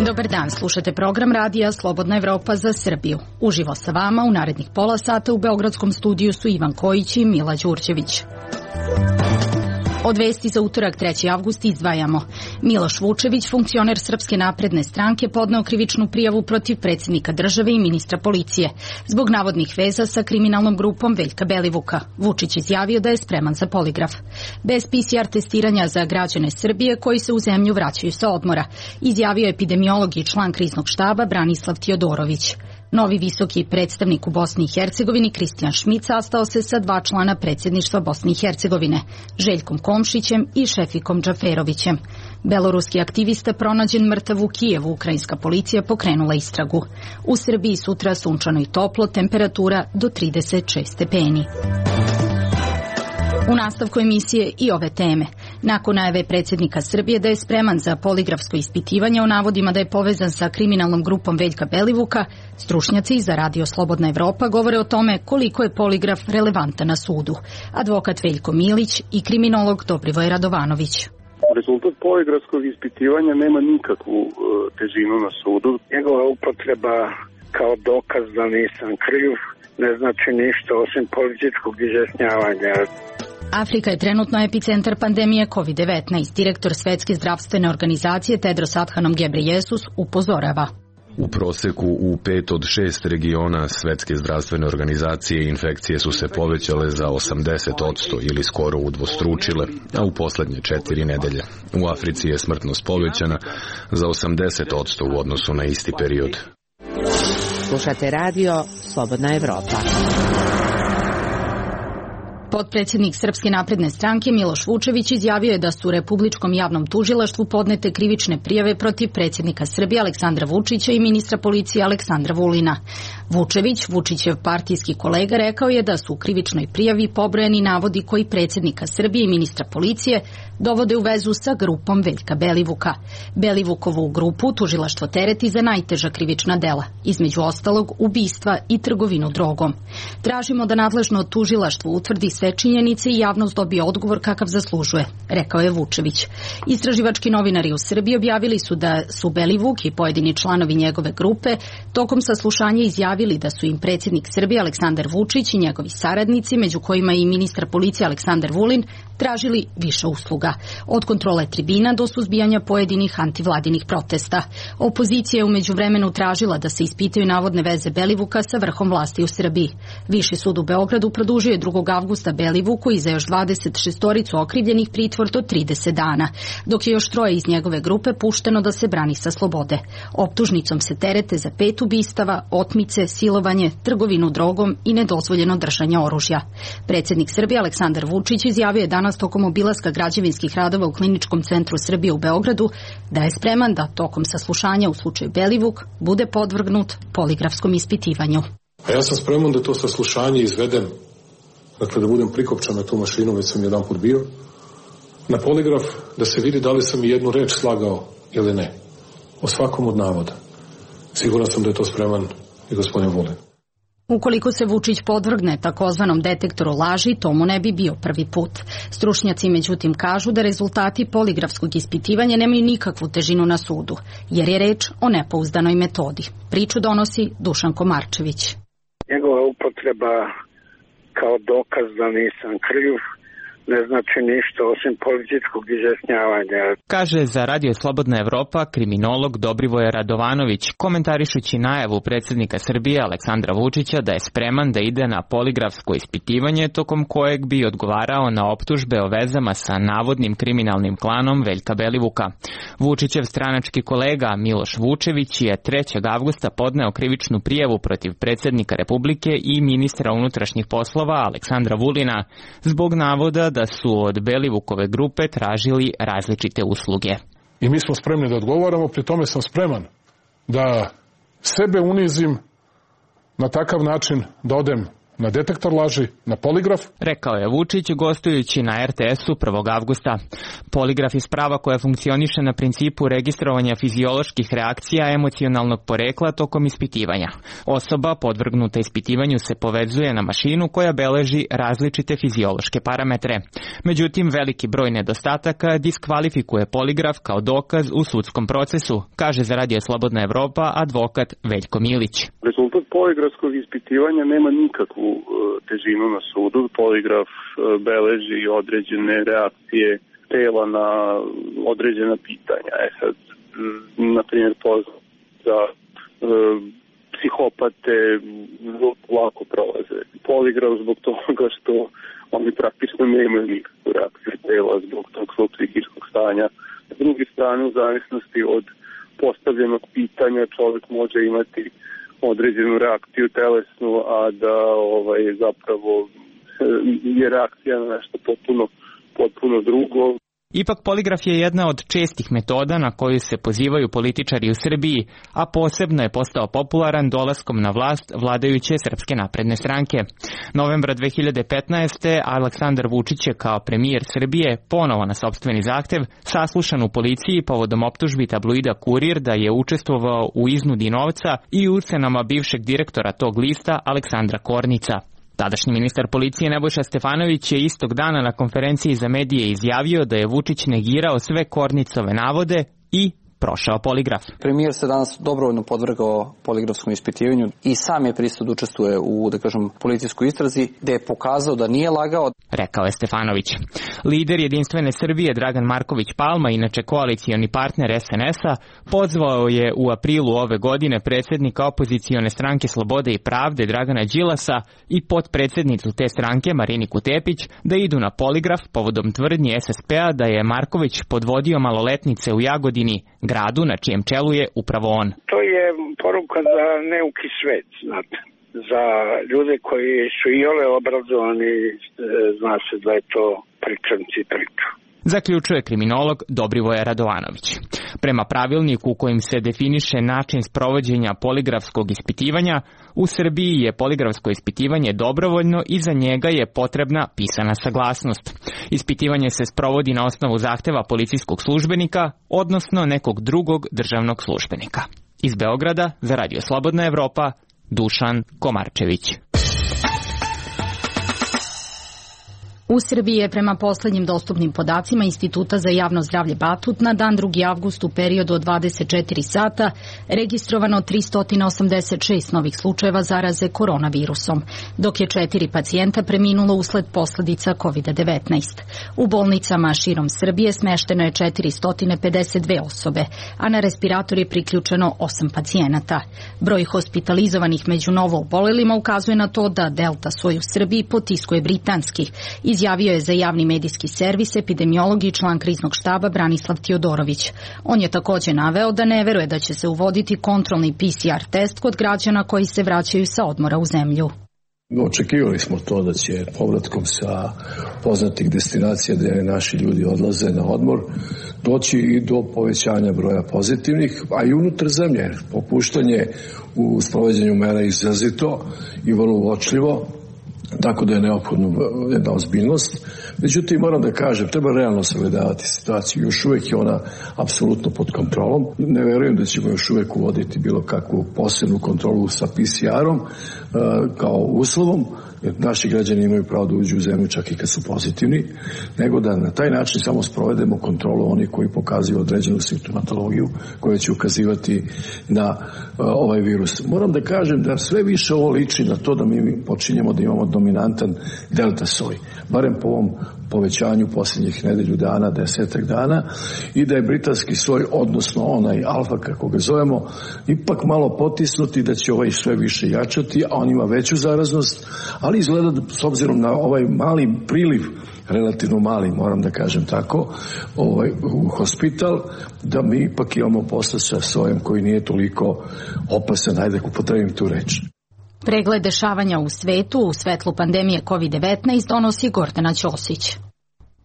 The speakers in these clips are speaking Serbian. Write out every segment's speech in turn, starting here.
Dobar dan, slušate program radija Slobodna Evropa za Srbiju. Uživo sa vama u narednih pola sata u beogradskom studiju su Ivan Kojić i Mila Đurđević. Od vesti za utorak 3. avgust izdvajamo. Miloš Vučević, funkcioner Srpske napredne stranke, podneo krivičnu prijavu protiv predsjednika države i ministra policije zbog navodnih veza sa kriminalnom grupom Veljka Belivuka. Vučić izjavio da je spreman za poligraf. Bez PCR testiranja za građane Srbije koji se u zemlju vraćaju sa odmora, izjavio epidemiolog i član kriznog štaba Branislav Tijodorović. Novi visoki predstavnik u Bosni i Hercegovini Kristijan Šmit sastao se sa 2 člana predsjedništva Bosne i Hercegovine, Željkom Komšićem i Šefikom Džaferovićem. Beloruski aktivista pronađen mrtav u Kijevu, ukrajinska policija pokrenula istragu. U Srbiji sutra sunčano i toplo, temperatura do 36 stepeni. U nastavku emisije i ove teme. Nakon najave predsjednika Srbije da je spreman za poligrafsko ispitivanje o navodima da je povezan sa kriminalnom grupom Veljka Belivuka, stručnjaci za Radio Slobodna Evropa govore o tome koliko je poligraf relevantan na sudu. Advokat Veljko Milić i kriminolog Dobrivoje Radovanović. Rezultat poligrafskog ispitivanja nema nikakvu težinu na sudu. Njegova upotreba kao dokaz da nisam kriv ne znači ništa osim političkog izjašnjavanja. Afrika je trenutno epicentar pandemije COVID-19. Direktor Svetske zdravstvene organizacije Tedros Adhanom Ghebreyesus upozorava. U proseku u 5 od 6 regiona Svetske zdravstvene organizacije infekcije su se povećale za 80% ili skoro udvostručile, a u poslednje 4 nedelje. U Africi je smrtnost povećana za 80% u odnosu na isti period. Slušate radio Slobodna Evropa. Potpredsjednik Srpske napredne stranke Miloš Vučević izjavio je da su Republičkom javnom tužilaštvu podnete krivične prijave protiv predsjednika Srbije Aleksandra Vučića i ministra policije Aleksandra Vulina. Vučević, Vučićev partijski kolega, rekao je da su u krivičnoj prijavi pobrojani navodi koji predsjednika Srbije i ministra policije dovode u vezu sa grupom Veljka Belivuka. Belivukovu grupu tužilaštvo tereti za najteža krivična dela, između ostalog ubistva i trgovinu drogom. Tražimo da nadležno tužilaštvo utvrdi sve činjenice i javnost dobije odgovor kakav zaslužuje, rekao je Vučević. Istraživački novinari u Srbiji objavili su da su Belivuk i pojedini članovi njegove grupe tokom saslušanja izjavili da su im predsjednik Srbije Aleksandar Vučić i njegovi saradnici, među kojima i ministar policije Aleksandar Vulin, tražili više usluga, od kontrole tribina do suzbijanja pojedinih antivladinih protesta. Opozicija je u međuvremenu tražila da se ispitaju navodne veze Belivuka sa vrhom vlasti u Srbiji. Viši sud u Beogradu produžio je 2. avgusta Belivuku i za još 26 okrivljenih pritvor do 30 dana, dok je još 3 iz njegove grupe pušteno da se brani sa slobode. Optužnicom se terete za 5 ubistava, otmice, silovanje, trgovinu drogom i nedozvoljeno držanje oružja. Predsjednik Srbije Aleksandar Vučić izjavio je danas tokom obilaska građevinskih radova u Kliničkom centru Srbije u Beogradu da je spreman da tokom saslušanja u slučaju Belivuk bude podvrgnut poligrafskom ispitivanju. A ja sam spreman da to saslušanje izvedem, dakle da budem prikopčan na tu mašinu, već sam jedan put bio, na poligraf, da se vidi da li sam i jednu reč slagao ili ne. O svakom od navoda. Siguran sam da je to spreman i gospodin Vulin. Ukoliko se Vučić podvrgne takozvanom detektoru laži, to mu ne bi bio prvi put. Stručnjaci međutim kažu da rezultati poligrafskog ispitivanja nemaju nikakvu težinu na sudu, jer je reč o nepouzdanoj metodi. Priču donosi Dušan Komarčević. Njegova upotreba kao dokaz da nisam kriv ne znači ništa osim političkog izjašnjavanja. Kaže za Radio Slobodna Evropa kriminolog Dobrivoje Radovanović, komentarišući najavu predsjednika Srbije Aleksandra Vučića da je spreman da ide na poligrafsko ispitivanje tokom kojeg bi odgovarao na optužbe o vezama sa navodnim kriminalnim klanom Veljka Belivuka. Vučićev stranački kolega Miloš Vučević je 3. avgusta podneo krivičnu prijavu protiv predsjednika Republike i ministra unutrašnjih poslova Aleksandra Vulina zbog navoda da su od Belivukove grupe tražili različite usluge. I mi smo spremni da odgovaramo, pri tome sam spreman da sebe unizim na takav način da odem na detektor laži, na poligraf. Rekao je Vučić gostujući na RTS-u 1. avgusta. Poligraf je sprava koja funkcioniše na principu registrovanja fizioloških reakcija emocionalnog porekla tokom ispitivanja. Osoba podvrgnuta ispitivanju se povezuje na mašinu koja beleži različite fiziološke parametre. Međutim, veliki broj nedostataka diskvalifikuje poligraf kao dokaz u sudskom procesu, kaže za Radio Slobodna Evropa advokat Veljko Milić. Rezultat poligrafskog ispitivanja nema nikakvu težinu na sudu. Poligraf beleži određene reakcije tela na određena pitanja. Sad, na primjer, za psihopate lako prolaze poligraf zbog toga što oni praktično nemaju nikakvu reakciju tela zbog tog svog psihičkog stanja. S druge strane, u zavisnosti od postavljenog pitanja čovjek može imati određenu reakciju telesnu, a da zapravo je reakcija na nešto potpuno drugo. Ipak poligraf je jedna od čestih metoda na koju se pozivaju političari u Srbiji, a posebno je postao popularan dolaskom na vlast vladajuće Srpske napredne stranke. Novembra 2015. Aleksandar Vučić je kao premijer Srbije ponovo na sopstveni zahtev saslušan u policiji povodom optužbi tabloida Kurir da je učestvovao u iznudi novca i ucenama bivšeg direktora tog lista Aleksandra Kornica. Tadašnji ministar policije Nebojša Stefanović je istog dana na konferenciji za medije izjavio da je Vučić negirao sve Kornicove navode i prošao poligraf. Premijer se danas dobrovoljno podvrgao poligrafskom ispitivanju i sam je pristao da učestvuje u, policijskoj istrazi, gde je pokazao da nije lagao. Rekao je Stefanović. Lider Jedinstvene Srbije Dragan Marković Palma, inače koalicioni partner SNS-a, pozvao je u aprilu ove godine predsjednika opozicione stranke Slobode i pravde Dragana Đilasa i potpredsjednicu te stranke Mariniku Tepić da idu na poligraf povodom tvrdnji SSP-a da je Marković podvodio maloletnice u Jagodini, gradu na čijem čelu je upravo on. To je poruka za neuki svet, znate. Za ljude koji su iole obrazovani, zna se da je to pričanci priču. Zaključuje kriminolog Dobrivoje Radovanović. Prema pravilniku u kojim se definiše način sprovođenja poligrafskog ispitivanja, u Srbiji je poligrafsko ispitivanje dobrovoljno i za njega je potrebna pisana saglasnost. Ispitivanje se sprovodi na osnovu zahteva policijskog službenika, odnosno nekog drugog državnog službenika. Iz Beograda za Radio Slobodna Evropa, Dušan Komarčević. U Srbiji je prema poslednjim dostupnim podacima Instituta za javno zdravlje Batut na dan 2. avgust u periodu od 24 sata registrovano 386 novih slučajeva zaraze koronavirusom, dok je 4 pacijenta preminulo usled posledica COVID-19. U bolnicama širom Srbije smešteno je 452 osobe, a na respirator je priključeno 8 pacijenata. Broj hospitalizovanih među novo obolelima ukazuje na to da Delta soj u Srbiji potiskuje britanski, izjavio je za javni medijski servis epidemiolog i član kriznog štaba Branislav Tiodorović. On je također naveo da ne veruje da će se uvoditi kontrolni PCR test kod građana koji se vraćaju sa odmora u zemlju. Očekivali smo to da će povratkom sa poznatih destinacija gdje naši ljudi odlaze na odmor doći i do povećanja broja pozitivnih, a i unutar zemlje. Popuštanje u sprovođenju mera izrazito i vrlo uočljivo, tako da je neophodno jedna ozbiljnost. Međutim, moram da kažem, treba realno sagledavati situaciju. Još uvijek je ona apsolutno pod kontrolom. Ne verujem da ćemo još uvijek uvoditi bilo kakvu posebnu kontrolu sa PCR-om kao uslovom, jer naši građani imaju pravo da uđu u zemlju čak i kad su pozitivni, nego da na taj način samo sprovedemo kontrolu onih koji pokazuju određenu simptomatologiju koja će ukazivati na ovaj virus. Moram da kažem da sve više ovo liči na to da mi počinjemo da imamo dominantan delta soj, barem po ovom povećanju posljednjih nedelju dana, 10 dana, i da je britanski soj, odnosno onaj alfa kako ga zovemo, ipak malo potisnuti, da će ovaj sve više jačati, a on ima veću zaraznost, ali izgleda da, s obzirom na ovaj mali priliv, relativno mali, moram da kažem tako, u hospital, da mi ipak imamo posla sa sojem koji nije toliko opasan, ajde da upotrebim tu reč. Pregled dešavanja u svetu u svetlu pandemije COVID-19 donosi Gordana Ćosić.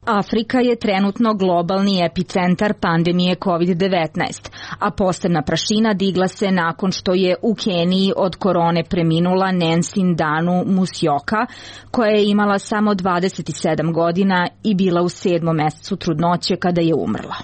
Afrika je trenutno globalni epicentar pandemije COVID-19, a posebna prašina digla se nakon što je u Keniji od korone preminula Nancy Ndanu Musyoka, koja je imala samo 27 godina i bila u 7. mesecu trudnoće kada je umrla.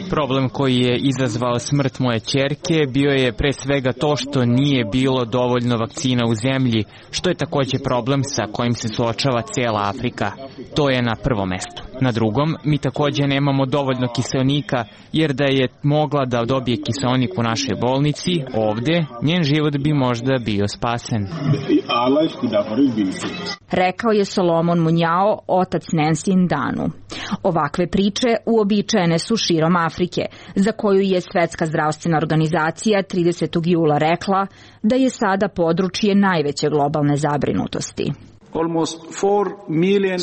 Problem koji je izazvao smrt moje ćerke bio je pre svega to što nije bilo dovoljno vakcina u zemlji, što je takođe problem sa kojim se suočava cijela Afrika. To je na prvom mestu. Na drugom, mi takođe nemamo dovoljno kiseonika, jer da je mogla da dobije kiseonik u našoj bolnici, ovde, njen život bi možda bio spasen. Rekao je Solomon Munjao, otac Nancy Ndanu. Ovakve priče uobičajene su širom Afrike, za koju je Svetska zdravstvena organizacija 30. jula rekla da je sada područje najveće globalne zabrinutosti.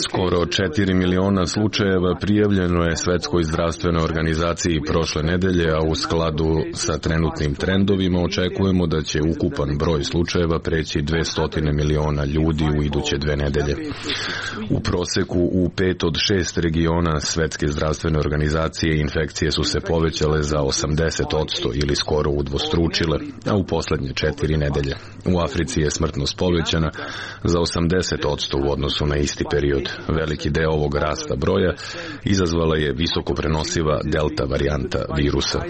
Skoro 4 miliona slučajeva prijavljeno je Svetskoj zdravstvenoj organizaciji prošle nedelje, a u skladu sa trenutnim trendovima očekujemo da će ukupan broj slučajeva preći 200 miliona ljudi u iduće 2 nedelje. U proseku u 5 od 6 regiona Svetske zdravstvene organizacije infekcije su se povećale za 80% ili skoro udvostručile, a u poslednje 4 nedelje. U Africi je smrtnost povećana za 80% u odnosu na isti period. Veliki deo ovog rasta broja izazvala je visoko prenosiva delta varijanta virusa.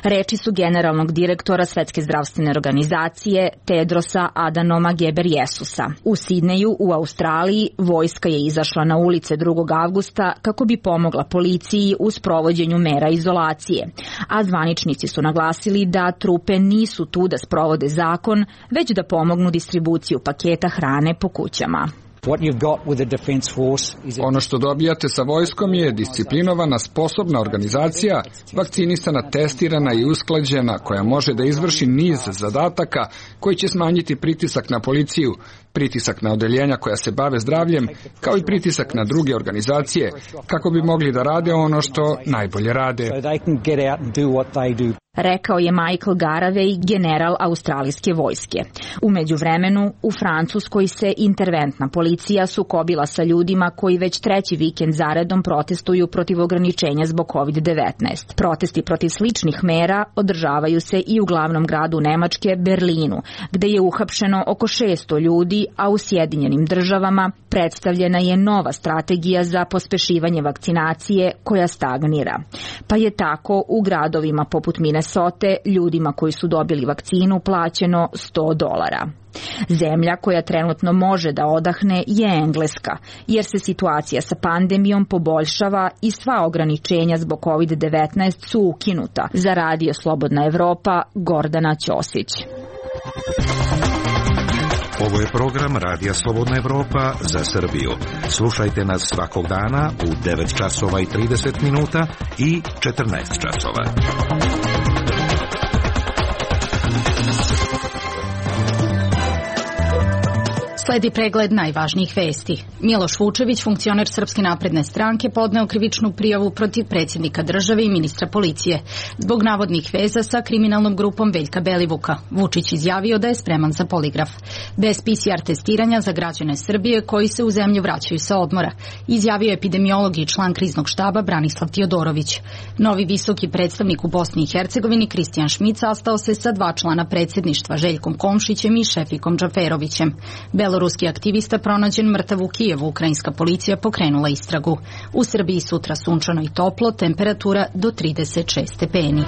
Reči su generalnog direktora Svetske zdravstvene organizacije Tedrosa Adhanoma Ghebreyesusa. U Sidneju u Australiji vojska je izašla na ulice 2. avgusta kako bi pomogla policiji u sprovođenju mera izolacije, a zvaničnici su naglasili da trupe nisu tu da sprovode zakon, već da pomognu distribuciju paketa hrane po kućama. Ono što dobijate sa vojskom je disciplinovana, sposobna organizacija, vakcinisana, testirana i usklađena, koja može da izvrši niz zadataka koji će smanjiti pritisak na policiju, pritisak na odeljenja koja se bave zdravljem, kao i pritisak na druge organizacije, kako bi mogli da rade ono što najbolje rade. Rekao je Michael Garavej, general australijske vojske. U međuvremenu, u Francuskoj se interventna policija sukobila sa ljudima koji već 3. vikend zaredom protestuju protiv ograničenja zbog COVID-19. Protesti protiv sličnih mera održavaju se i u glavnom gradu Nemačke, Berlinu, gde je uhapšeno oko 600 ljudi, a u Sjedinjenim državama predstavljena je nova strategija za pospešivanje vakcinacije koja stagnira. Pa je tako u gradovima poput Minnesota ljudima koji su dobili vakcinu plaćeno $100. Zemlja koja trenutno može da odahne je Engleska, jer se situacija sa pandemijom poboljšava i sva ograničenja zbog COVID-19 su ukinuta. Za Radio Slobodna Evropa, Gordana Ćosić. Ovo je program Radija Slobodna Evropa za Srbiju. Slušajte nas svakog dana u 9 časova i 30 minuta i 14 časova. Sledi pregled najvažnijih vesti. Miloš Vučević, funkcioner Srpske napredne stranke, podneo krivičnu prijavu protiv predsjednika države i ministra policije zbog navodnih veza sa kriminalnom grupom Veljka Belivuka. Vučić izjavio da je spreman za poligraf. Bez PCR testiranja za građane Srbije koji se u zemlju vraćaju sa odmora, izjavio epidemiolog i član kriznog štaba Branislav Tiodorović. Novi visoki predstavnik u Bosni i Hercegovini Kristijan Šmit sastao se sa 2 člana predsjedništva, Željkom Komšićem i Šefikom Džaferovićem. Beloruski aktivista pronađen mrtav u Kijevu, ukrajinska policija pokrenula istragu. U Srbiji sutra sunčano i toplo, temperatura do 36 stepeni.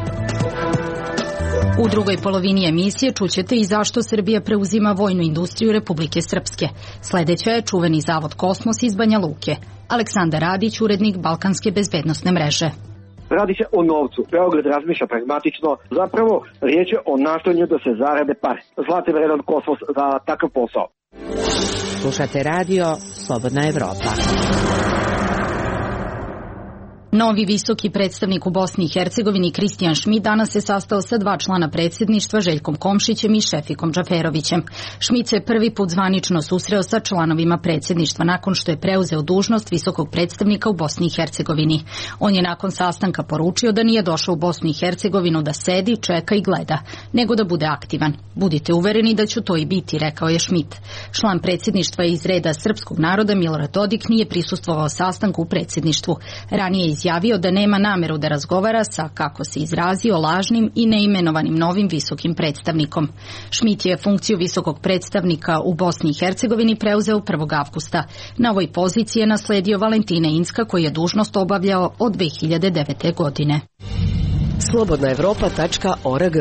U drugoj polovini emisije čućete i zašto Srbija preuzima vojnu industriju Republike Srpske. Sledeća je čuveni zavod Kosmos iz Banja Luke. Aleksandar Radić, urednik Balkanske bezbednosne mreže. Radi se o novcu. Beograd razmišlja pragmatično. Zapravo, riječ je o nastojanju da se zarade pare. Zlati vredan Kosmos za takav posao. Slušate radio Slobodna Evropa. Novi visoki predstavnik u Bosni i Hercegovini Kristijan Šmit danas se sastao sa 2 člana predsjedništva, Željkom Komšićem i Šefikom Džaferovićem. Šmit se prvi put zvanično susreo sa članovima predsjedništva nakon što je preuzeo dužnost visokog predstavnika u Bosni i Hercegovini. On je nakon sastanka poručio da nije došao u Bosnu i Hercegovinu da sedi, čeka i gleda, nego da bude aktivan. Budite uvereni da ću to i biti, rekao je Šmit. Član predsjedništva iz reda srpskog naroda Milorad Dodik nije prisustvovao sastanku u predsjedništvu. Ranije je izjavio da nema nameru da razgovara sa, kako se izrazio, lažnim i neimenovanim novim visokim predstavnikom. Šmit je funkciju visokog predstavnika u Bosni i Hercegovini preuzeo 1. avgusta. Na ovoj poziciji je nasledio Valentina Incka koji je dužnost obavljao od 2009. godine. Slobodnaevropa.org.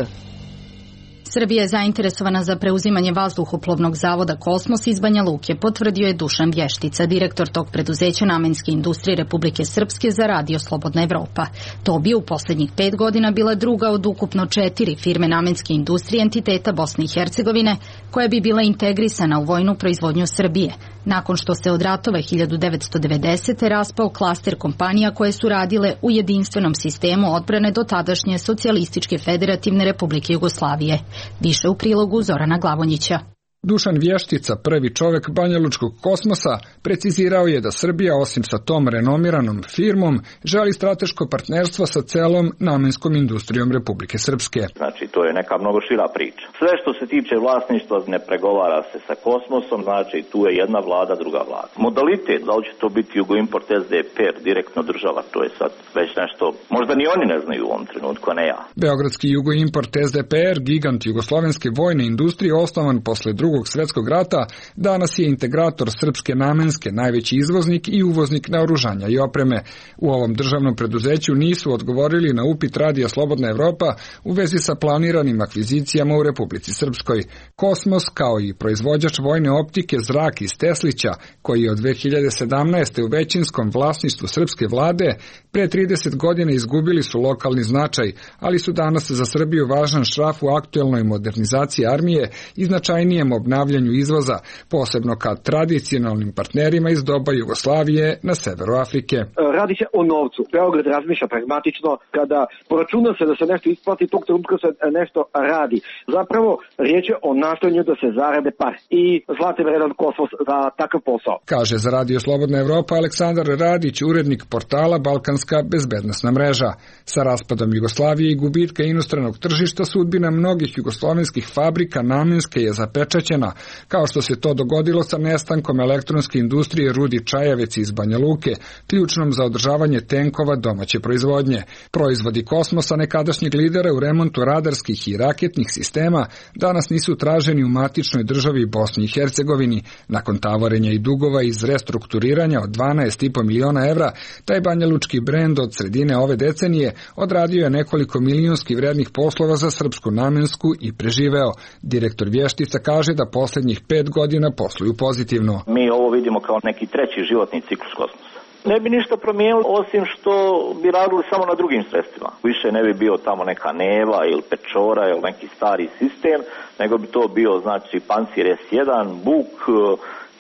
Srbija je zainteresovana za preuzimanje vazduhoplovnog zavoda Kosmos iz Banja Luke, potvrdio je Dušan Vještica, direktor tog preduzeća namenske industrije Republike Srpske za Radio Slobodna Evropa. To bi u posljednjih 5 godina bila druga od ukupno 4 firme namenske industrije entiteta Bosne i Hercegovine, koja bi bila integrisana u vojnu proizvodnju Srbije, nakon što se od ratova 1990. raspao klaster kompanija koje su radile u jedinstvenom sistemu odbrane do tadašnje Socijalističke federativne Republike Jugoslavije. Više u prilogu Zorana Glavonjića. Dušan Vještica, prvi čovek banjalučkog kosmosa, precizirao je da Srbija, osim sa tom renomiranom firmom, želi strateško partnerstvo sa celom namenskom industrijom Republike Srpske. Znači, to je neka mnogo šira priča. Sve što se tiče vlasništva ne pregovara se sa kosmosom, znači tu je jedna vlada, druga vlada. Modalitet, da li će to biti Jugoimport SDPR, direktno država, to je sad već nešto, možda ni oni ne znaju u ovom trenutku, a ne ja. Beogradski Jugoimport SDPR, gigant jugoslovenske vojne industrije, osnovan posle Drugog svjetskog rata, danas je integrator srpske namenske, najveći izvoznik i uvoznik naoružanja i opreme. U ovom državnom preduzeću nisu odgovorili na upit Radija Slobodna Evropa u vezi sa planiranim akvizicijama u Republici Srpskoj. Kosmos, kao i proizvođač vojne optike Zrak iz Teslića, koji je od 2017. u većinskom vlasništvu srpske vlade, pre 30 godina izgubili su lokalni značaj, ali su danas za Srbiju važan šraf u aktuelnoj modernizaciji armije i značajnijem obnavljanju izvoza, posebno kad tradicionalnim partnerima iz doba Jugoslavije na severu Afrike. Radi se o novcu. Beograd razmišlja pragmatično. Kada poračuna se da se nešto isplati, tog trenutka se nešto radi. Zapravo, riječ je o nastojanju da se zarade pare. I zlati vredan kosmos za takav posao. Kaže za Radio Slobodna Evropa Aleksandar Radić, urednik portala Balkanska bezbednosna mreža. Sa raspadom Jugoslavije i gubitka inostranog tržišta sudbina mnogih jugoslovenskih fabrika namenske je zapečaćena, kao što se to dogodilo sa nestankom elektronske industrije Rudi Čajevec iz Banja Luke, ključnom za održavanje tenkova domaće proizvodnje. Proizvodi Kosmosa, nekadašnjeg lidera u remontu radarskih i raketnih sistema, danas nisu traženi u matičnoj državi Bosni i Hercegovini. Nakon tavorenja i dugova iz restrukturiranja od 12,5 miliona evra, taj banjalučki brend od sredine ove decenije odradio je nekoliko milionskih vrednih poslova za srpsku namensku i preživeo. Direktor Vještica kaže da posljednjih 5 godina posluju pozitivno. Mi ovo vidimo kao neki treći životni ciklus kosmosa. Ne bi ništa promijenilo osim što bi radili samo na drugim sredstvima. Više ne bi bio tamo neka Neva ili Pečora ili neki stari sistem, nego bi to bio znači Pancir S1, Buk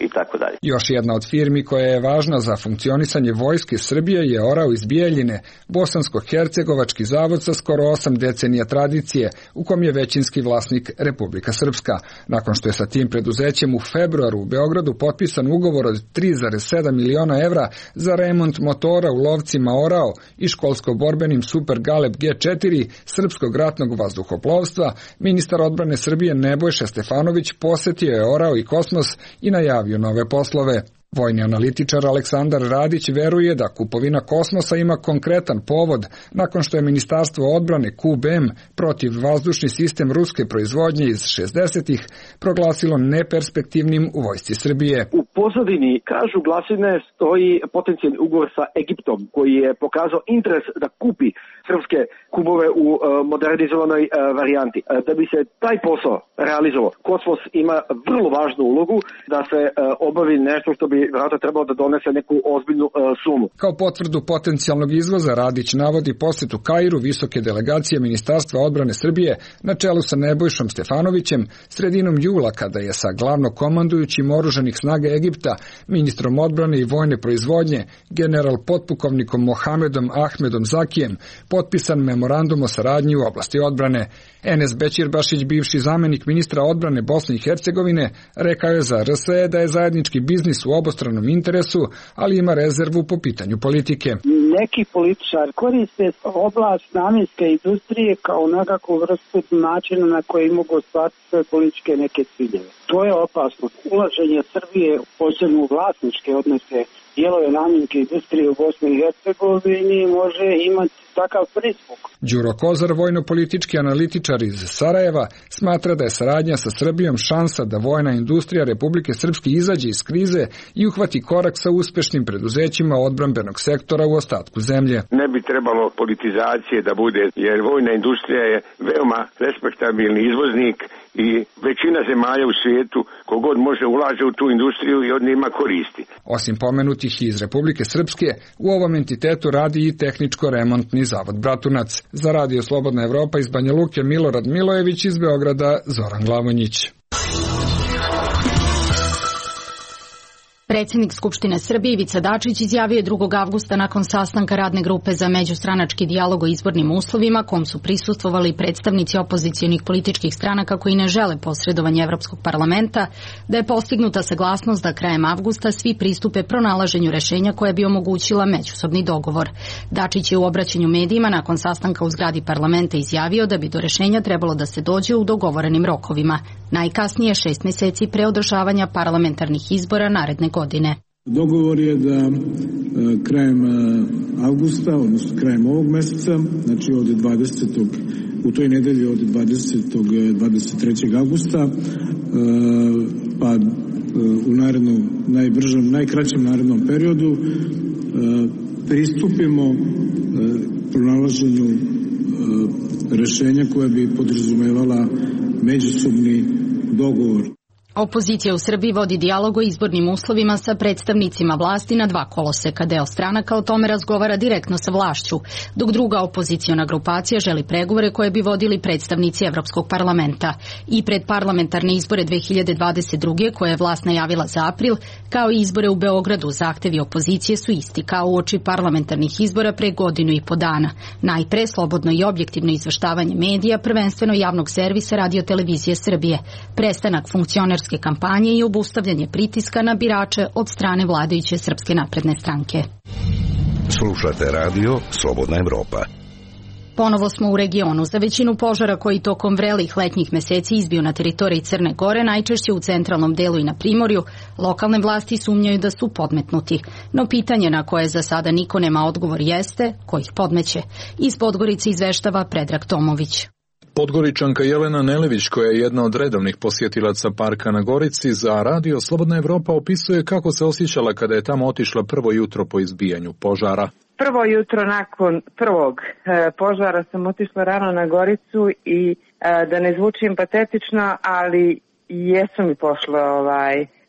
i tako dalje. Još jedna od firmi koja je važna za funkcionisanje vojske Srbije je Orao iz Bijeljine, bosansko-hercegovački zavod sa skoro 8 decenija tradicije, u kom je većinski vlasnik Republika Srpska. Nakon što je sa tim preduzećem u februaru u Beogradu potpisan ugovor od 3,7 miliona evra za remont motora u lovcima Orao i školsko-borbenim Super Galeb G4 srpskog ratnog vazduhoplovstva, ministar odbrane Srbije Nebojša Stefanović posetio je Orao i Kosmos i najavio nove poslove. Vojni analitičar Aleksandar Radić veruje da kupovina Kosmosa ima konkretan povod nakon što je Ministarstvo odbrane QBM protivvazdušni sistem ruske proizvodnje iz 60-ih proglasilo neperspektivnim u vojsci Srbije. U pozadini, kažu glasine, stoji potencijalni ugovor sa Egiptom koji je pokazao interes da kupi srpske kumove u modernizovanoj varijanti. Da bi se taj posao realizovao, Kosmos ima vrlo važnu ulogu da se obavi nešto što bi vjerojatno trebalo da donese neku ozbiljnu sumu. Kao potvrdu potencijalnog izvoza Radić navodi posjetu Kairu visoke delegacije Ministarstva odbrane Srbije na čelu sa Nebojšom Stefanovićem sredinom jula, kada je sa glavnokomandujućim oružanih snaga Egipta, ministrom odbrane i vojne proizvodnje, general potpukovnikom Mohamedom Ahmedom Zakijem, potpisan memorandum o saradnji u oblasti odbrane. Enes Bećirbašić, bivši zamenik ministra odbrane Bosne i Hercegovine, rekao je za RSE da je zajednički biznis u obostranom interesu, ali ima rezervu po pitanju politike. Neki političari koriste oblast namjenske industrije kao nekakvu vrstu načina na koji mogu ostvariti svoje političke neke ciljeve. To je opasno. Ulaženje Srbije posebno u vlasničke odnose dijelove namjenske industrije u Bosni i Hercegovini može imati takav pristup. Đuro Kozar, vojno-politički analitičar iz Sarajeva, smatra da je saradnja sa Srbijom šansa da vojna industrija Republike Srpske izađe iz krize i uhvati korak sa uspešnim preduzećima odbrambenog sektora u ostatku zemlje. Ne bi trebalo politizacije da bude, jer vojna industrija je veoma respektabilni izvoznik i većina zemalja u svijetu kogod može ulaže u tu industriju i od njima koristi. Osim pomenutih iz Republike Srpske, u ovom entitetu radi i tehničko-remontni zavod Bratunac. Za Radio Slobodna Evropa iz Banja Luke Milorad Milojević, iz Beograda Zoran Glavonjić. Predsjednik Skupštine Srbije Ivica Dačić izjavio je 2. avgusta nakon sastanka radne grupe za međustranački dijalog o izbornim uslovima, kom su prisustvovali predstavnici opozicionih političkih stranaka koji ne žele posredovanje Evropskog parlamenta, da je postignuta saglasnost da krajem avgusta svi pristupe pronalaženju rešenja koje bi omogućila međusobni dogovor. Dačić je u obraćanju medijima nakon sastanka u zgradi parlamenta izjavio da bi do rešenja trebalo da se dođe u dogovorenim rokovima, najkasnije 6 mjeseci pre održavanja parlamentarnih izbora naredne godine. Dogovor je da krajem avgusta, odnosno krajem ovog meseca, znači od 20. u toj nedelji od 23. avgusta, pa u najkraćem narednom periodu pristupimo pronalaženju rešenja koje bi podrazumevala međusobni dogovor. Opozicija u Srbiji vodi dijalog o izbornim uslovima sa predstavnicima vlasti na 2 koloseka. Deo stranaka o tome razgovara direktno sa vlašću, dok druga opoziciona grupacija želi pregovore koje bi vodili predstavnici Evropskog parlamenta. I pred parlamentarne izbore 2022. koje je vlast najavila za april, kao i izbore u Beogradu, zahtevi opozicije su isti kao uoči parlamentarnih izbora pre 1.5 godine. Najpre slobodno i objektivno izveštavanje medija, prvenstveno javnog servisa Radio Televizije Srbije, prestanak funkcionerske kampanje i obustavljanje pritiska na birače od strane vladajuće Srpske napredne stranke. Slušate radio Slobodna Evropa. Ponovo smo u regionu. Za većinu požara koji tokom vrelih letnjih meseci izbiju na teritoriji Crne Gore, najčešće u centralnom delu i na primorju, lokalne vlasti sumnjaju da su podmetnuti. No pitanje na koje za sada niko nema odgovor jeste ko ih podmeće. Iz Podgorice izveštava Predrag Tomović. Podgoričanka Jelena Nelević, koja je jedna od redovnih posjetilaca parka na Gorici, za Radio Slobodna Evropa opisuje kako se osjećala kada je tamo otišla prvo jutro po izbijanju požara. Prvo jutro nakon prvog požara sam otišla rano na Goricu i da ne zvučim patetično, ali jesu mi pošle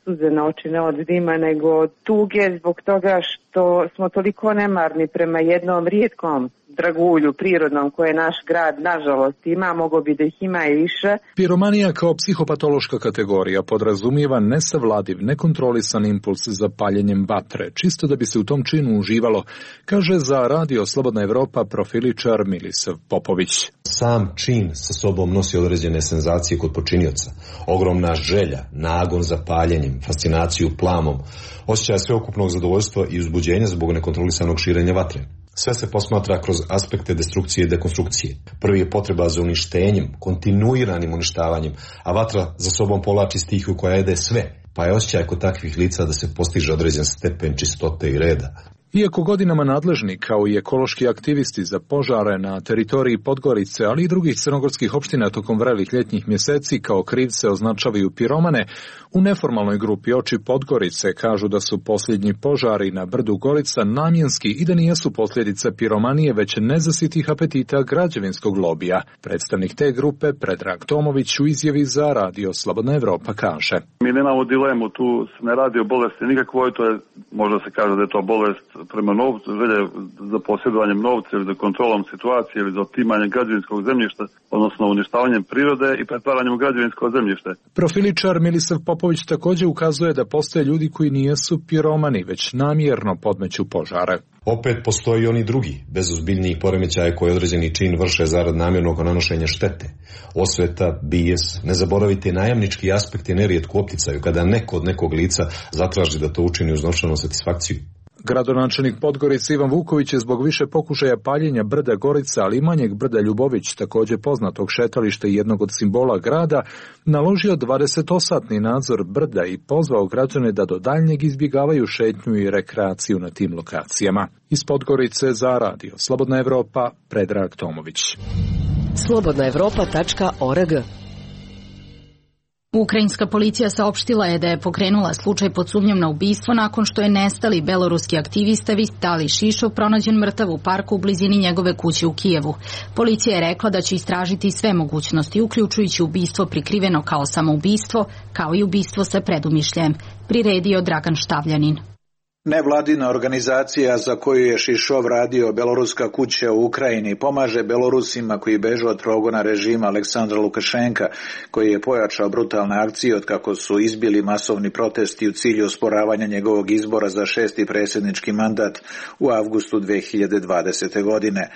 suze na oči, ne od dima nego od tuge, zbog toga što smo toliko nemarni prema jednom rijetkom dragulju prirodnom koje naš grad nažalost ima, mogo bi da ih ima i više. Piromanija kao psihopatološka kategorija podrazumijeva nesavladiv, nekontrolisan impuls za paljenjem vatre, čisto da bi se u tom činu uživalo, kaže za Radio Slobodna Evropa profiličar Milisav Popović. Sam čin sa sobom nosi određene senzacije kod počinioca. Ogromna želja, nagon za paljenjem, fascinaciju plamom, osjećaj sveukupnog zadovoljstva i uzbuđenja zbog nekontrolisanog širenja vatre. Sve se posmatra kroz aspekte destrukcije i dekonstrukcije. Prvi je potreba za uništenjem, kontinuiranim uništavanjem, a vatra za sobom povlači stihiju koja jede sve, pa je osjećaj kod takvih lica da se postiže određen stepen čistote i reda. Iako godinama nadležni kao i ekološki aktivisti za požare na teritoriji Podgorice, ali i drugih crnogorskih opština tokom vrelih ljetnjih mjeseci kao krivce označavaju piromane, u neformalnoj grupi Oči Podgorice kažu da su posljednji požari na brdu Gorica namjenski i da nijesu posljedica piromanije, već nezasitih apetita građevinskog lobija. Predstavnik te grupe, Predrag Tomović, u izjavi za Radio Slobodna Evropa kaže: Mi nemamo dilemu, tu se ne radi o bolesti nikakvoj, to je, možda se kaže da je to bolest prema novcu, želje za posjedovanjem novca ili za kontrolom situacije ili za otimanjem građevinskog zemljišta, odnosno uništavanjem prirode i pretvaranjem u građevinsko zemljište. Profiličar Milisav Popović također ukazuje da postoje ljudi koji nijesu piromani, već namjerno podmeću požare. Opet postoji oni drugi, bez ozbiljnijih poremećaja koji određeni čin vrše zarad namjernog nanošenja štete. Osveta, bijes, ne zaboravite najamnički aspekt je nerijetko u opticaju kada neko od nekog lica zatraži da to učini uz novčanu satisfakciju. Gradonačelnik Podgorice Ivan Vuković je zbog više pokušaja paljenja brda Gorica, ali i manjeg brda Ljubović, također poznatog šetališta i jednog od simbola grada, naložio 20-satni nadzor brda i pozvao građane da do daljnjeg izbjegavaju šetnju i rekreaciju na tim lokacijama. Iz Podgorice za Radio Slobodna Evropa, Predrag Tomović. Slobodnaevropa.org. Ukrajinska policija saopštila je da je pokrenula slučaj pod sumnjom na ubistvo nakon što je nestali beloruski aktivista Vitalij Šišov pronađen mrtav u parku u blizini njegove kuće u Kijevu. Policija je rekla da će istražiti sve mogućnosti, uključujući ubistvo prikriveno kao samoubistvo, kao i ubistvo sa predumišljajem, priredio Dragan Štavljanin. Nevladina organizacija za koju je Šišov radio, Beloruska kuća u Ukrajini, pomaže Belorusima koji bežu od progona režima Aleksandra Lukašenka, koji je pojačao brutalne akcije od kako su izbili masovni protesti u cilju osporavanja njegovog izbora za 6. predsjednički mandat u avgustu 2020. godine.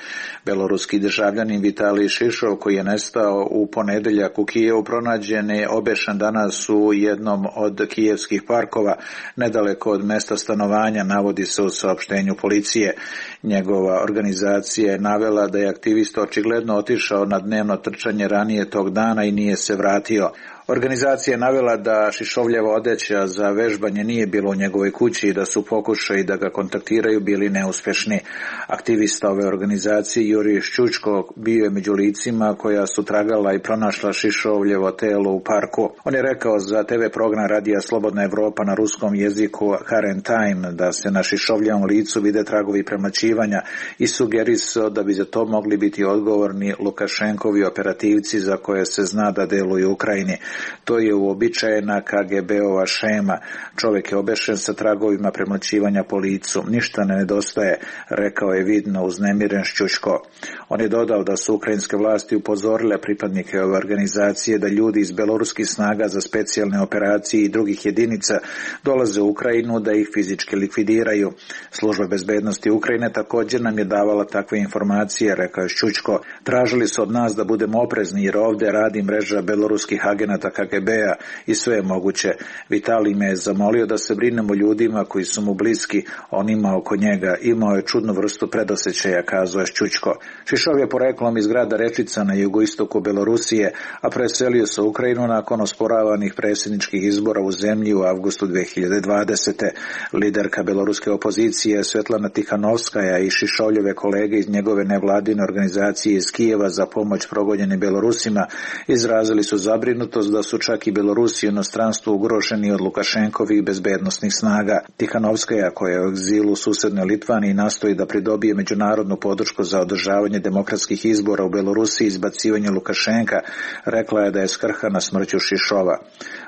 Beloruski državljanin Vitalij Šišov, koji je nestao u ponedjeljak u Kijevu, pronađen je obešen danas u jednom od kijevskih parkova, nedaleko od mesta stanovanja, navodi se u saopštenju policije. Njegova organizacija je navela da je aktivista očigledno otišao na dnevno trčanje ranije tog dana i nije se vratio. Organizacija je navela da Šišovljeva odeća za vežbanje nije bilo u njegovoj kući i da su pokušaji da ga kontaktiraju bili neuspješni. Aktivista ove organizacije Jurij Ščučko bio je među licima koja su tragala i pronašla Šišovljevo telo u parku. On je rekao za TV program Radija Slobodna Evropa na ruskom jeziku Current Time da se na Šišovljevom licu vide tragovi premlaćivanja i sugerisao da bi za to mogli biti odgovorni Lukašenkovi operativci za koje se zna da deluju u Ukrajini. To je uobičajena KGB-ova šema. Čovjek je obešen sa tragovima premlaćivanja po licu. Ništa ne nedostaje, rekao je vidno uznemiren Šćuško. On je dodao da su ukrajinske vlasti upozorile pripadnike ove organizacije da ljudi iz beloruskih snaga za specijalne operacije i drugih jedinica dolaze u Ukrajinu da ih fizički likvidiraju. Služba bezbednosti Ukrajine također nam je davala takve informacije, rekao je Šćuško. Tražili su od nas da budemo oprezni jer ovdje radi mreža beloruskih agenata KGB-a i sve je moguće. Vitalij me je zamolio da se brinemo ljudima koji su mu bliski, onima oko njega. Imao je čudnu vrstu predosjećaja, kazao je Šćučko. Šišov je poreklom iz grada Rečica na jugoistoku Belorusije, a preselio se u Ukrajinu nakon osporavanih predsjedničkih izbora u zemlji u avgustu 2020. Liderka beloruske opozicije Svetlana Tihanovskaja i Šišovljeve kolege iz njegove nevladine organizacije iz Kijeva za pomoć progonjenim Belorusima izrazili su zabrinutost da su čak i Belorusi u inostranstvu ugroženi od Lukašenkovih bezbednosnih snaga. Tihanovskaja, koja je u egzilu u susednoj Litvaniji, nastoji da pridobije međunarodnu podršku za održavanje demokratskih izbora u Belorusiji i izbacivanje Lukašenka, rekla je da je skrhana smrću Šišova.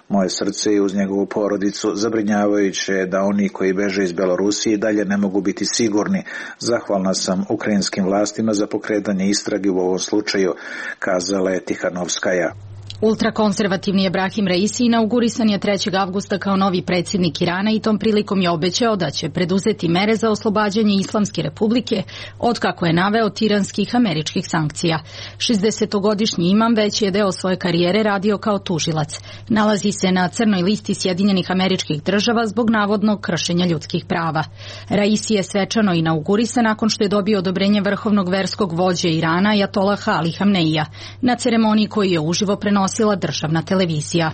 Moje srce je uz njegovu porodicu. Zabrinjavajuće je da oni koji beže iz Belorusije dalje ne mogu biti sigurni. Zahvalna sam ukrajinskim vlastima za pokretanje istrage u ovom slučaju, kazala je Tihanovskaja. Ultrakonzervativni Ebrahim Raisi inaugurisan je 3. avgusta kao novi predsjednik Irana i tom prilikom je obećao da će preduzeti mere za oslobađanje Islamske republike od, kako je naveo, tiranskih američkih sankcija. 60-godišnji imam već je deo svoje karijere radio kao tužilac. Nalazi se na crnoj listi Sjedinjenih Američkih Država zbog navodnog kršenja ljudskih prava. Raisi je svečano inaugurisan nakon što je dobio odobrenje vrhovnog verskog vođe Irana Ajatolaha Ali Hamneija na ceremoniji koju je uživo prenosila državna televizija.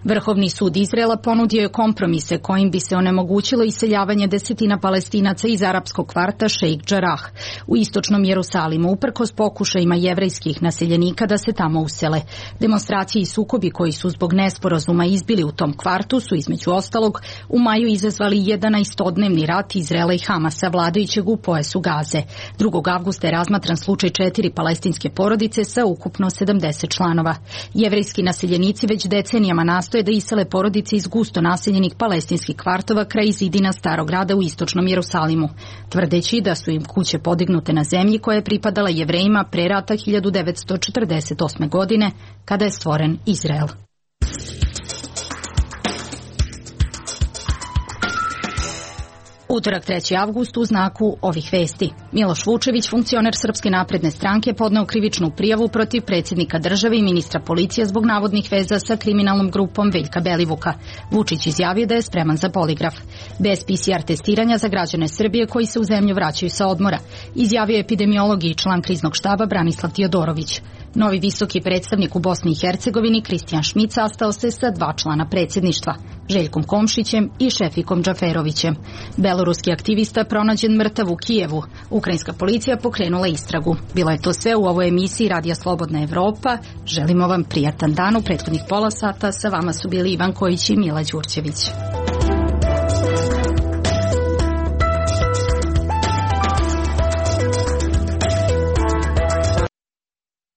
Vrhovni sud Izraela ponudio je kompromise kojim bi se onemogućilo iseljavanje desetina Palestinaca iz arapskog kvarta Šejk Džarah u istočnom Jerusalimu, uprkos pokušajima jevrejskih naseljenika da se tamo usele. Demonstracije i sukobi koji su zbog nesporazuma izbili u tom kvartu su između ostalog u maju izazvali 11-dnevni rat Izraela i Hamasa, vladajućeg u pojasu Gaze. 2. avgusta je razmatran slučaj 4 palestinske porodice sa ukupno 70 članova. Jevrejski naseljenici već decenijama nastoje da isele porodice iz gusto naseljenih palestinskih kvartova kraj zidina Starog grada u istočnom Jerusalimu, tvrdeći da su im kuće podignute na zemlji koja je pripadala Jevrejima pre rata 1948. godine, kada je stvoren Izrael. Utorak 3. avgust u znaku ovih vesti. Miloš Vučević, funkcioner Srpske napredne stranke, podneo krivičnu prijavu protiv predsjednika države i ministra policije zbog navodnih veza sa kriminalnom grupom Veljka Belivuka. Vučić izjavio da je spreman za poligraf. Bez PCR testiranja za građane Srbije koji se u zemlju vraćaju sa odmora, izjavio je epidemiolog i član kriznog štaba Branislav Tiodorović. Novi visoki predstavnik u Bosni i Hercegovini, Kristijan Šmit, sastao se sa 2 člana predsjedništva, Željkom Komšićem i Šefikom Džaferovićem. Beloruski aktivista pronađen mrtav u Kijevu. Ukrajinska policija pokrenula istragu. Bilo je to sve u ovoj emisiji Radija Slobodna Evropa. Želimo vam prijatan dan. U prethodnih pola sata sa vama su bili Ivan Kojić i Mila Đurđević.